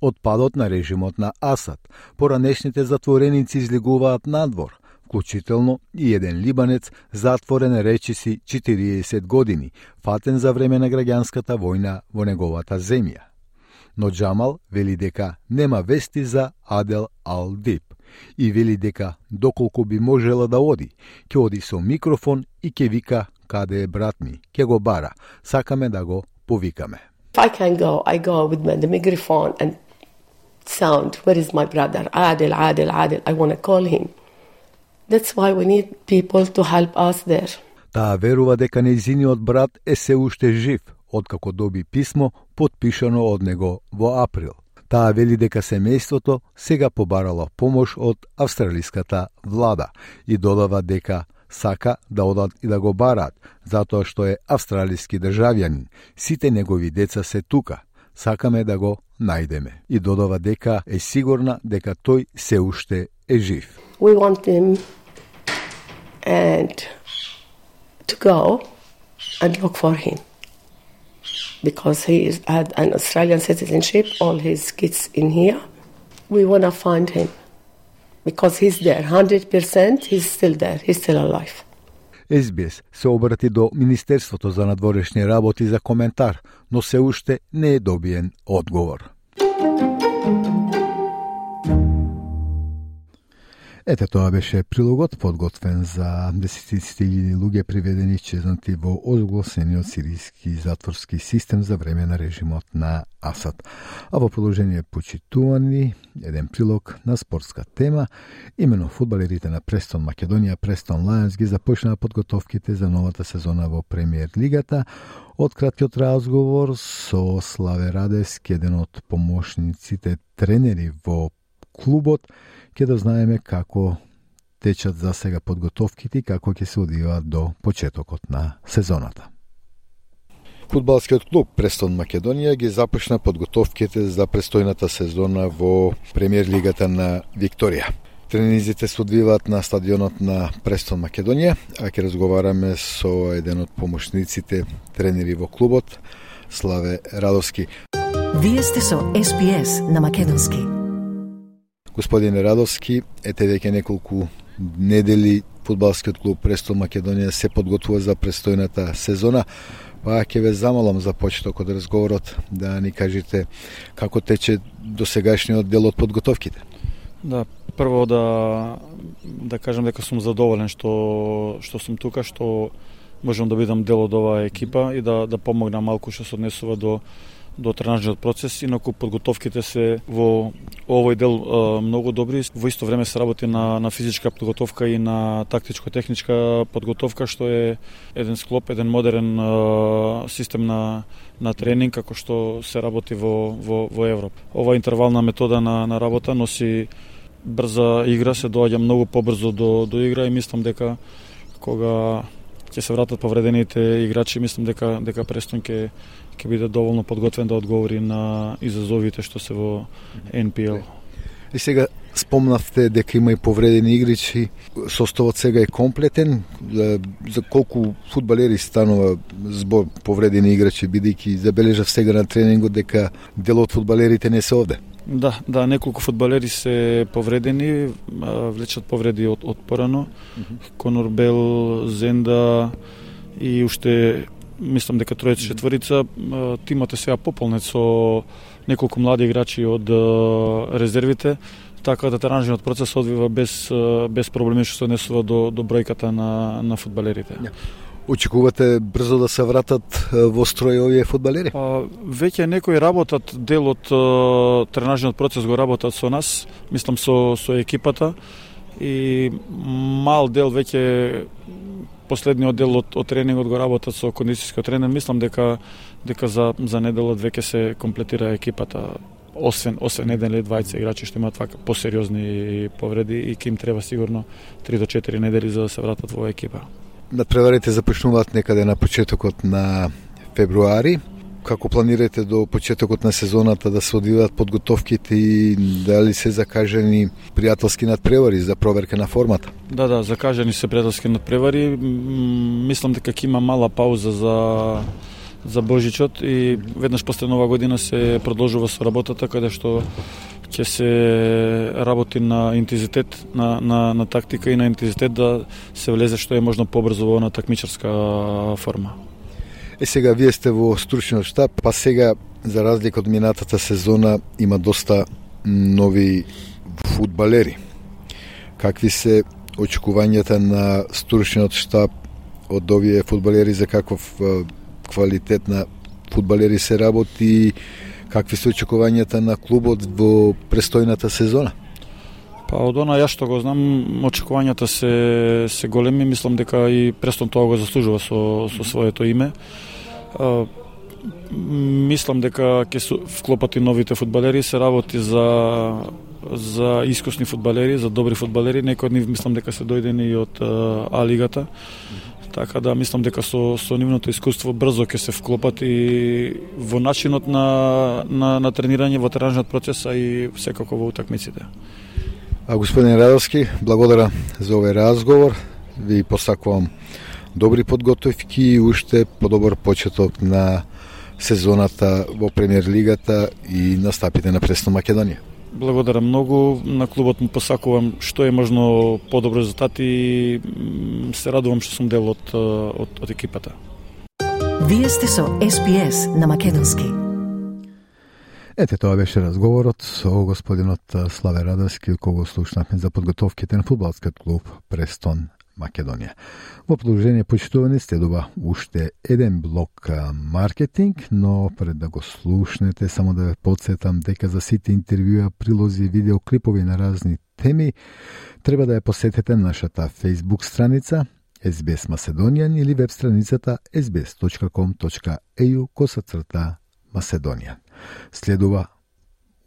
Speaker 3: Од падот на режимот на Асад, поранешните затвореници излегуваат надвор, вклучително и еден либанец затворен речиси четириесет години, фатен за време на граѓанската војна во неговата земја. Но Джамал вели дека нема вести за Адел Ал-Дип и вели дека доколку би можела да оди, ќе оди со микрофон и ќе вика каде е брат ми, ќе го бара, сакаме да го повикаме.
Speaker 21: If I can go, I go with the microphone and sound, where is my brother? Adel, Adel, Adel, I want to call him. That's why we need people to help us there.
Speaker 3: Таа верува дека нејзиниот брат е се уште жив, откако доби писмо потпишано од него во април. Таа вели дека семејството сега побарало помош од австралиската влада и додава дека сака да одат и да го бараат, затоа што е австралиски државјанин. Сите негови деца се тука. Сакаме да го најдеме. И додава дека е сигурна дека тој се уште е жив.
Speaker 21: We want him and to go and look for him. Because he is, had an Australian citizenship, all his kids in here. We want to find him. Because he's there, one hundred percent he's still there, he's still alive.
Speaker 3: Ес Би Ес се обрати до Министерството за надворешни работи за коментар, но се уште не е добиен одговор. Ете, тоа беше прилогот подготвен за десетиците илјади луѓе приведени и чезнати во озгласениот сиријски затворски систем за време на режимот на Асад. А во продолжение почитувани еден прилог на спортска тема, имено фудбалерите на Престон Македонија, Престон Лајонс ги започнаа подготовките за новата сезона во Премиер лигата. Од краткиот разговор со Славе Радевски, еден од помошниците тренери во клубот, ќе да знаеме како течат за сега подготовките и како ќе се одвиваат до почетокот на сезоната. Фудбалскиот клуб Престон Македонија ги започна подготовките за престојната сезона во Премиер лигата на Викторија. Тренизите се одвиваат на стадионот на Престон Македонија, а ќе разговараме со еден од помошниците тренери во клубот, Славе Радовски.
Speaker 1: Вие сте со Ес Би Ес на македонски.
Speaker 3: Господине Радовски, ете веќе неколку недели фудбалскиот клуб Престон Македонија се подготвува за престојната сезона, па ќе ве замолам за почеток од разговорот да ни кажете како тече досегашниот дел од подготовките.
Speaker 22: Да, прво да да кажам дека сум задоволен што што сум тука, што можам да бидам дел од оваа екипа и да да помогнам малку што се однесува до до тренажниот процес, инаку подготовките се во овој дел е, многу добри. Во исто време се работи на, на физичка подготовка и на тактичко-техничка подготовка, што е еден склоп, еден модерен е, систем на, на тренинг, како што се работи во, во, во Европа. Ова интервална метода на, на работа носи брза игра, се доаѓа многу побрзо до, до игра и мислам дека кога ќе се вратат повредените играчи, мислам дека дека Престон ќе ќе биде доволно подготвен да одговори на изазовите што се во Ен Пи Ел.
Speaker 3: И сега спомнавте дека има и повредени играчи. Составот сега е комплетен. За колку фудбалери станува збор повредени играчи, бидејќи забележав сега на тренингот дека дел од фудбалерите не се овде?
Speaker 22: Да, да, неколку фудбалери се повредени, влечат повреди од, од порано. Mm-hmm. Конор Бел, Зенда и уште мислам дека тројца четворица. Тимот е сега пополнет со неколку млади играчи од резервите, така да тренажниот процес одвива без без проблеми што се однесува до до бројката на на фудбалерите. Yeah.
Speaker 3: Очекувате брзо да се вратат во строј овие фудбалери?
Speaker 22: А, веќе некои работат, дел од тренажниот процес го работат со нас, мислам со со екипата, и мал дел веќе последниот дел од, од тренингот го работат со кондицијскиот тренер. Мислам дека дека за за неделот веќе се комплетира екипата. Освен освен еден или двајца играчи што имаат вака посериозни повреди и ќе им треба сигурно три до четири недели за да се вратат во екипа.
Speaker 3: Надпреварите започнуваат некаде на почетокот на февруари. Како планирате до почетокот на сезоната да се одвиваат подготовките и дали се закажани пријателски надпревари за проверка на формата?
Speaker 22: Да, да, закажани се пријателски надпревари. Мислам дека ќе има мала пауза за за Божичот и веднаш после Нова година се продолжува со работата каде што ќе се работи на интензитет, на, на, на тактика и на интензитет да се влезе што е можно побрзо во на такмичарска форма.
Speaker 3: Е, сега вие сте во стручниот штаб, па сега за разлика од минатата сезона има доста нови фудбалери. Какви се очекувањата на стручниот штаб од овие фудбалери, за каков квалитет на фудбалери се работи, какви се очекувањата на клубот во престојната сезона?
Speaker 22: Па од она ја што го знам, очекувањата се се големи, мислам дека и Престон тоа го заслужува со со своето име. А, мислам дека ќе се вклопат и новите фудбалери, се работи за за искусни фудбалери, за добри фудбалери, некои од нив мислам дека се дојдени и од А лигата. Така да мислам дека со со нивното искуство брзо ќе се вклопат и во начинот на на на тренирање, во тренажниот процес, а и секако во утакмиците.
Speaker 3: А господин Радовски, благодарам за овој разговор. Ви посакувам добри подготовки и уште подобар почеток на сезоната во Премиер лигата и настапите на Престон Македонија.
Speaker 22: Благодарам многу, на клубот му посакувам што е можно подобро резултати и се радувам што сум дел од, од, од екипата.
Speaker 1: Вие сте со Ес Би Ес на македонски.
Speaker 3: Ете, тоа беше разговорот со господинот Славе Радовски, кого слушнавме за подготовките на фудбалскиот клуб Престон Македонија. Во продолжение, почитувани, следува уште еден блок маркетинг, но пред да го слушнете, само да ве подсетам дека за сите интервјуа, прилози и видеоклипови на разни теми, треба да ја посетите нашата Facebook страница Ес Би Ес Macedonian или веб страницата ес би ес точка ком точка е ю косацрта Macedonian. Следува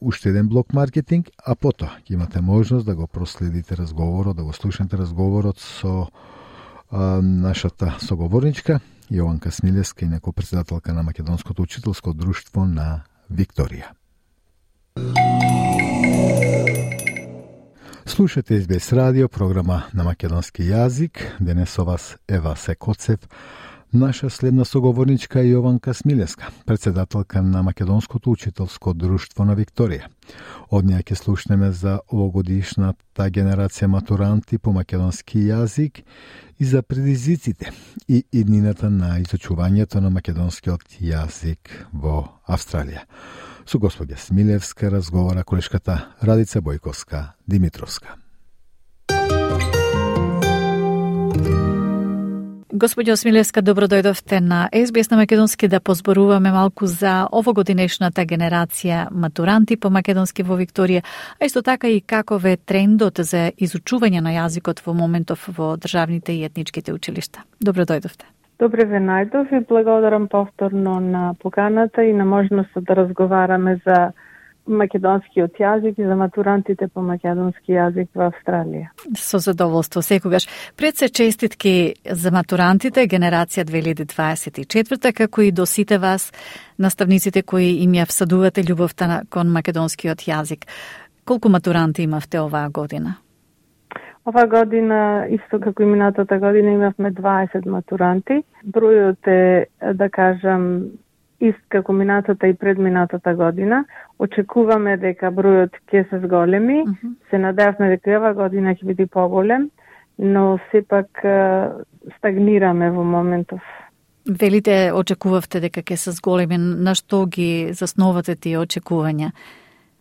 Speaker 3: уште еден блок маркетинг, а потоа ќе имате можност да го проследите разговорот, да го слушнете разговорот со а, нашата соговорничка Јованка Смилевска, инаку председателка на Македонското учителско друштво на Викторија. Слушате Ес Би Ес радио, програма на македонски јазик. Денес со вас Ева Секоцев. Наша следна соговорничка е Јованка Смилевска, председателка на Македонското учителско друштво на Викторија. Од неја ќе слушнеме за овогодишната генерација матуранти по македонски јазик и за предизвиците и иднината на изучувањето на македонскиот јазик во Австралија. Со господја Смилевска разговара колешката Радица Бојковска Димитровска.
Speaker 2: Господјо Смилевска, добро дојдовте на Ес Би Ес на македонски да позборуваме малку за овогодинешната генерација матуранти по македонски во Викторија, а исто така и каков е трендот за изучување на јазикот во моментов во државните и етничките училишта. Добро дојдовте.
Speaker 4: Добре ве најдов и благодарам повторно на поканата и на можноста да разговараме за македонскиот јазик и за матурантите по македонски јазик во Австралија.
Speaker 2: Со задоволство секогаш. Пред се честитки за матурантите генерација две илјади дваесет и четврта, како и до сите вас, наставниците кои им ја всадувате љубовта кон македонскиот јазик. Колку матуранти имавте оваа година?
Speaker 4: Ова година, исто како и минатата година, имавме дваесет матуранти. Бројот е, да кажам, ист како минатата и предминатата година. Очекуваме дека бројот ќе се зголеми. Mm -hmm. Се надевме дека ова година ќе биде поголем, но сепак стагнираме во моментов.
Speaker 2: Велите, очекувавте дека ќе се зголеми. На што ги засновате тие очекувања?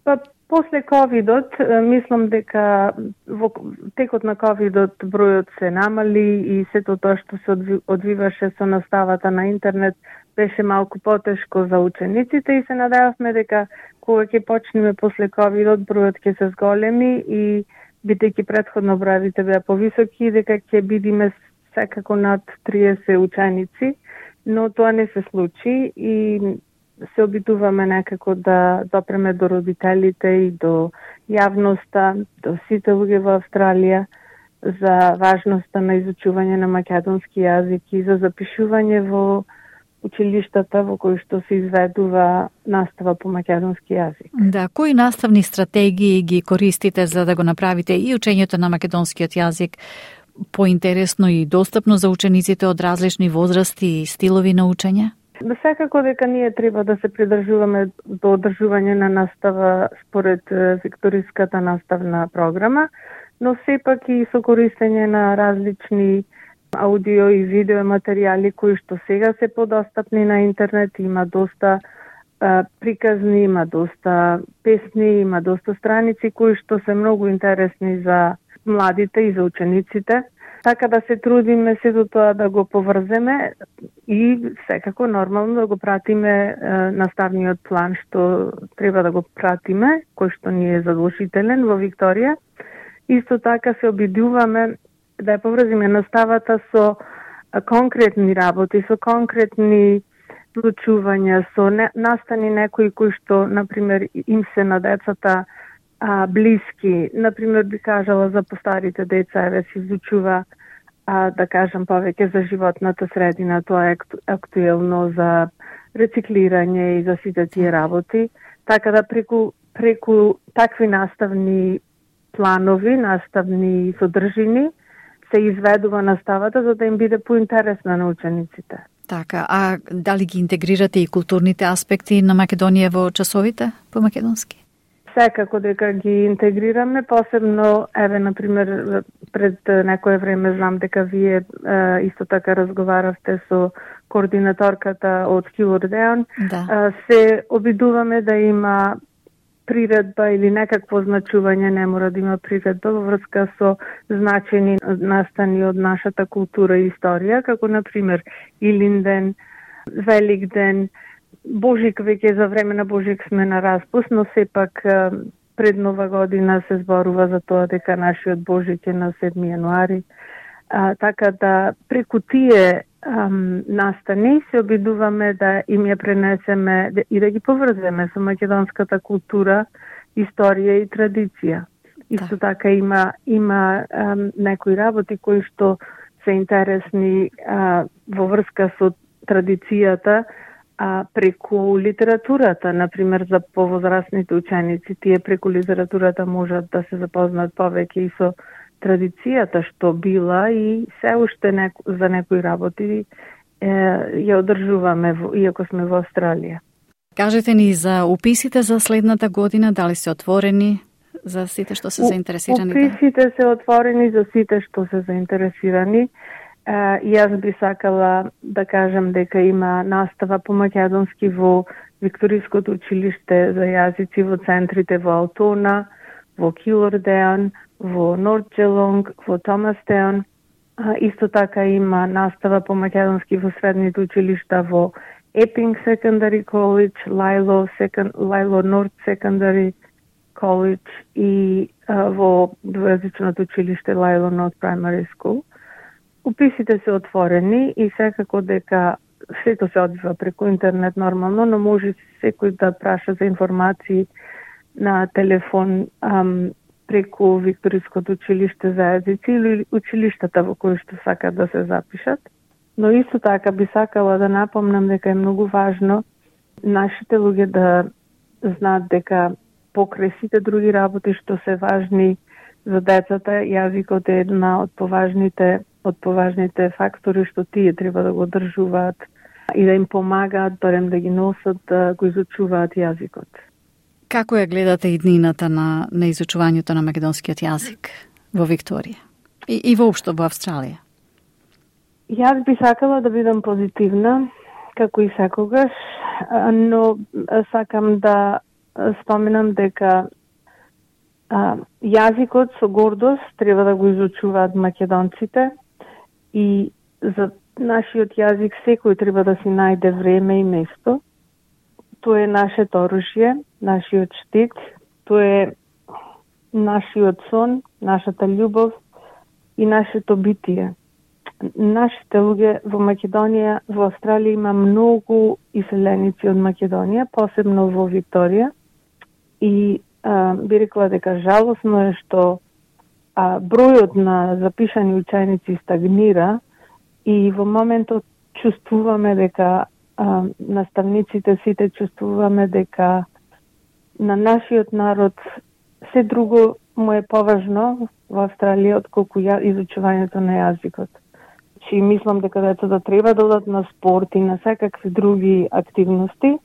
Speaker 4: Па, после ковидот, мислам дека во текот на ковидот бројот се намали и сето тоа што се одвиваше со наставата на интернет беше малку потешко за учениците и се надевавме дека кога ќе почнеме после ковидот бројот ќе се зголеми и бидејќи претходно броевите беа повисоки дека ќе бидиме секако над триесет ученици, но тоа не се случи и се обидуваме некако да допреме до родителите и до јавноста, до сите луѓе во Австралија за важноста на изучување на македонски јазик и за запишување во училиштата во кои што се изведува настава по македонски јазик.
Speaker 2: Да, кои наставни стратегии ги користите за да го направите и учењето на македонскиот јазик поинтересно и достапно за учениците од различни возрасти и стилови на учење?
Speaker 4: Да, секако дека ние треба да се придржуваме до одржување на настава според викториската наставна програма, но сепак и со користење на различни аудио и видео материјали кои што сега се подостапни на интернет. Има доста а, приказни, има доста песни, има доста страници кои што се многу интересни за младите и за учениците. Така да се трудиме сето тоа да го поврземе и секако нормално да го пратиме е, наставниот план што треба да го пратиме, кој што ни е задолжителен во Викторија. Исто така се обидуваме да ја поврзиме наставата со конкретни работи, со конкретни случувања, со не, настани некои кои што, например, им се на децата а, блиски. Например, би кажала за постарите деца, еве се изучува, а, да кажам, повеќе за животната средина, тоа е актуелно за рециклирање и за сите тие работи. Така да преку, преку такви наставни планови, наставни содржини, се изведува наставата за да им биде поинтересна на учениците.
Speaker 2: Така, а дали ги интегрирате и културните аспекти на Македонија во часовите по македонски?
Speaker 4: Секако дека ги интегрираме, посебно, еве, например, пред некое време знам дека вие е, исто така разговаравте со координаторката од Килордеон. Да. Е, се обидуваме да има приредба или некакво значување, не мора да има приредба во врска со значени настани од нашата култура и историја, како например Илинден, Великден, Божик. Веќе за време на Божик сме на распуст, но сепак пред Нова година се зборува за тоа дека нашиот Божик е на седми јануари. А, така да преку тие ам, настани се обидуваме да им ја пренесеме и да ги поврземе со македонската култура, историја и традиција. Исто да. Така има има ам, некои работи кои што се интересни а, во врска со традицијата, а преку литературата, например за повозрастните ученици, тие преку литературата можат да се запознаат повеќе и со традицијата што била и се уште неко, за некои работи е, ја одржуваме, иако сме во Австралија.
Speaker 2: Кажете ни за уписите за следната година, дали се отворени за сите што се заинтересирани?
Speaker 4: Уписите се отворени за сите што се заинтересирани. Uh, и јас би сакала да кажам дека има настава по македонски во Викториското училиште за јазици во центрите во Алтона, во Килордеон, во Нордджелонг, во Томастеон. Uh, исто така има настава по македонски во средните училишта во Епинг Secondary College, Лајло, Second, Лајло Норд Secondary College и uh, во двојазичното училиште Лајло Норд Primary School. Уписите се отворени и секако дека сето се одвива преку интернет нормално, но може секој да праша за информации на телефон ам, преку Викториското училиште за езици или училиштата во кои што сакат да се запишат. Но исто така би сакала да напомнам дека е многу важно нашите луѓе да знаат дека покрај сите други работи што се важни за децата, јазикот е една од поважните од поважните фактори што тие треба да го одржуваат и да им помагаат, барем да ги носат, да го изучуваат јазикот.
Speaker 2: Како ја гледате иднината на, на изучувањето на македонскиот јазик во Викторија и, и воопшто во Австралија?
Speaker 4: Јас би сакала да бидам позитивна, како и секогаш, но сакам да споменам дека а, јазикот со гордост треба да го изучуваат македонците и за нашиот јазик секој треба да си најде време и место. Тоа е нашето оружје, нашиот штит, тоа е нашиот сон, нашата љубов и нашето битие. Нашите луѓе во Македонија, во Австралија има многу иселеници од Македонија, посебно во Викторија. И а, би рекла дека жалосно е што а, бројот на запишани ученици стагнира и во моментот чувствуваме дека а, наставниците сите чувствуваме дека на нашиот народ се друго му е поважно во Австралија отколку ја, изучувањето на јазикот. Чи мислам дека децата треба да одат на спорт и на секакви други активности,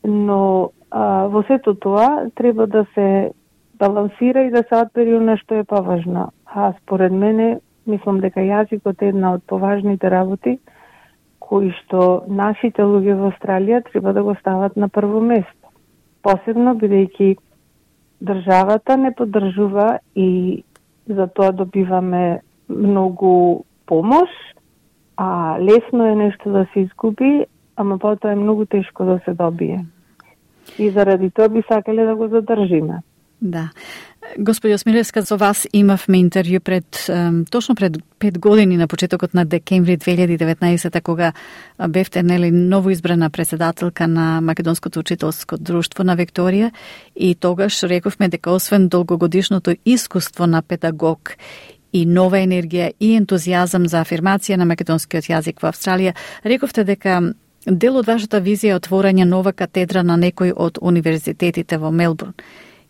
Speaker 4: но а, во сето тоа треба да се балансира и да се одбери она што е поважно. А според мене, мислам дека јазикот е една од поважните работи кои што нашите луѓе во Австралија треба да го стават на прво место. Посебно бидејќи државата не поддржува и за тоа добиваме многу помош, а лесно е нешто да се изгуби, ама потоа е многу тешко да се добие. И заради тоа би сакале да го задржиме.
Speaker 2: Да. Господи Осмилевска, со вас имавме интервју пред точно пред пет години на почетокот на декември две илјади и деветнаесета, кога бевте нели новоизбрана председателка на Македонското учителско друштво на Викторија, и тогаш рековме дека освен долгогодишното искуство на педагог и нова енергија и ентузијазам за афирмација на македонскиот јазик во Австралија, рековте дека дел од вашата визија е отворање нова катедра на некој од универзитетите во Мелбурн.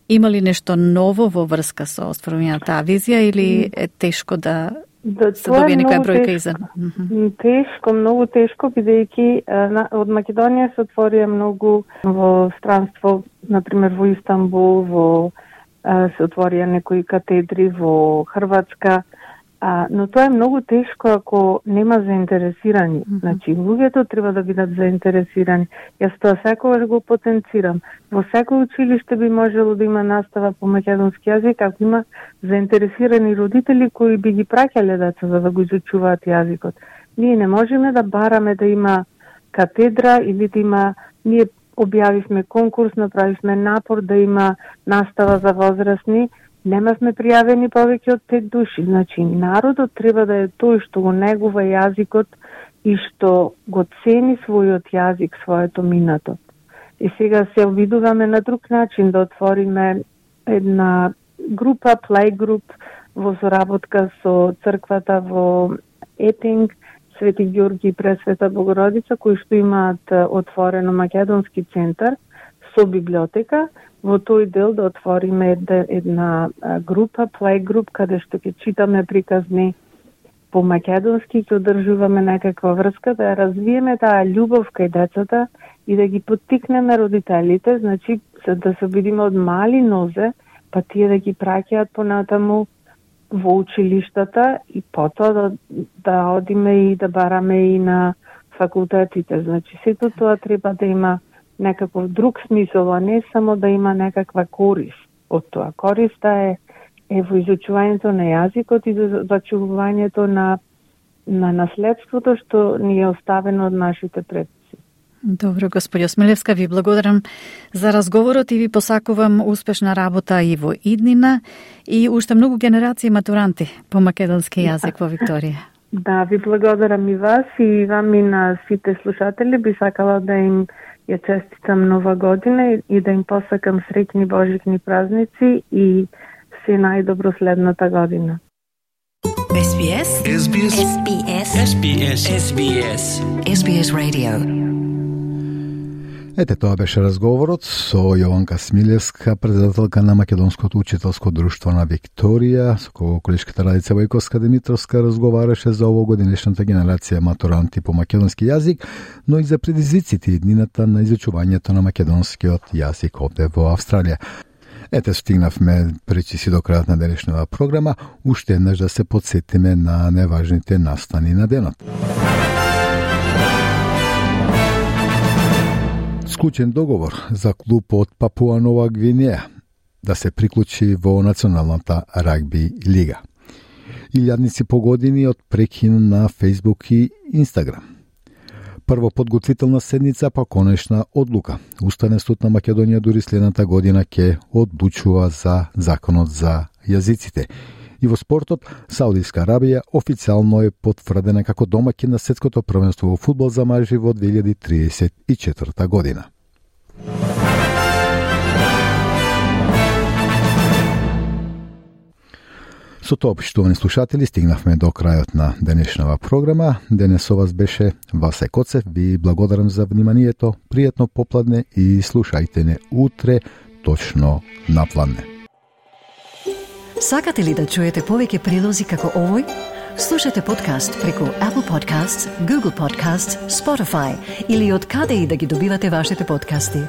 Speaker 2: Има ли нешто ново во врска со остварувањето на таа визија или е тешко да,
Speaker 4: да
Speaker 2: се добие некоја бројка иза?
Speaker 4: Тешко, многу тешко, бидејќи од Македонија се отворија многу во странство, например во Истанбул, во се отворија некои катедри во Хрватска, а, но тоа е многу тешко ако нема заинтересирани. Mm-hmm. Значи, луѓето треба да бидат заинтересирани. Јас тоа секогаш го потенцирам. Во секој училиште би можело да има настава по македонски јазик ако има заинтересирани родители кои би ги праќале деца за да го изучуваат јазикот. Ние не можеме да бараме да има катедра или да има... Ние објавивме конкурс, направивме напор да има настава за возрастни, немавме пријавени повеќе од пет души. Значи, народот треба да е тој што го негува јазикот и што го цени својот јазик, своето минато. И сега се обидуваме на друг начин да отвориме една група, плей груп во соработка со црквата во Епинг, Свети Ѓорги и Пресвета Богородица, кои што имаат отворено македонски центар со библиотека. Во тој дел да отвориме една група, плей груп, каде што ќе читаме приказни по македонски, ќе одржуваме некаква врска, да ја развиеме таа љубов кај децата и да ги поттикнеме родителите, значи да се обидиме од мали нозе, па тие да ги праќаат понатаму во училиштата и потоа да, да одиме и да бараме и на факултетите. Значи, сето тоа треба да има некаков друг смисол, а не само да има некаква корист од тоа. Користа е, е во изучувањето на јазикот и за зачувувањето на, на наследството што ни е оставено од нашите предци.
Speaker 2: Добро, господи Осмилевска, ви благодарам за разговорот и ви посакувам успешна работа и во иднина и уште многу генерации матуранти по македонски јазик во Викторија.
Speaker 4: Да, ви благодарам и вас и вам и на сите слушатели. Би сакала да им ја честитам нова година и да им посакам среќни божикни празници и се најдобро следната година.
Speaker 1: Ес Би Ес Ес Би Ес Ес Би Ес Ес Би Ес Ес Би Ес Ес Би Ес Radio.
Speaker 3: Ете, тоа беше разговорот со Јованка Смилевска, председателка на Македонското учителско друштво на Викторија, со кого колешката Радица Војковска Димитровска разговараше за овогодинешната генерација матуранти по македонски јазик, но и за предизвиците и днината на изучувањето на македонскиот јазик овде во Австралија. Ете, стигнавме пречиси до крајот на денешната програма, уште еднаш да се подсетиме на неважните настани на денот. Склучен договор за клуб од Папуа Нова Гвинеја да се приклучи во Националната рагби лига. Илјадници по години од прекин на Фејсбук и Инстаграм. Прво подготвителна седница, па конечна одлука. Уставен суд на Македонија дури следната година ќе одлучува за законот за јазиците. И во спортот, Саудиска Арабија официјално е потврдена како домаќин на светското првенство во фудбал за мажи во две илјади триесет и четврта година. Со тоа, поштовани слушатели, стигнавме до крајот на денешнава програма. Денес со вас беше Васе Коцев. Ви благодарам за вниманието. Пријатно попладне и слушајте не утре точно на пладне.
Speaker 1: Сакате ли да чуете повеќе прилози како овој? Слушате подкаст преку Apple Podcasts, Google Podcasts, Spotify или од каде и да ги добивате вашите подкасти.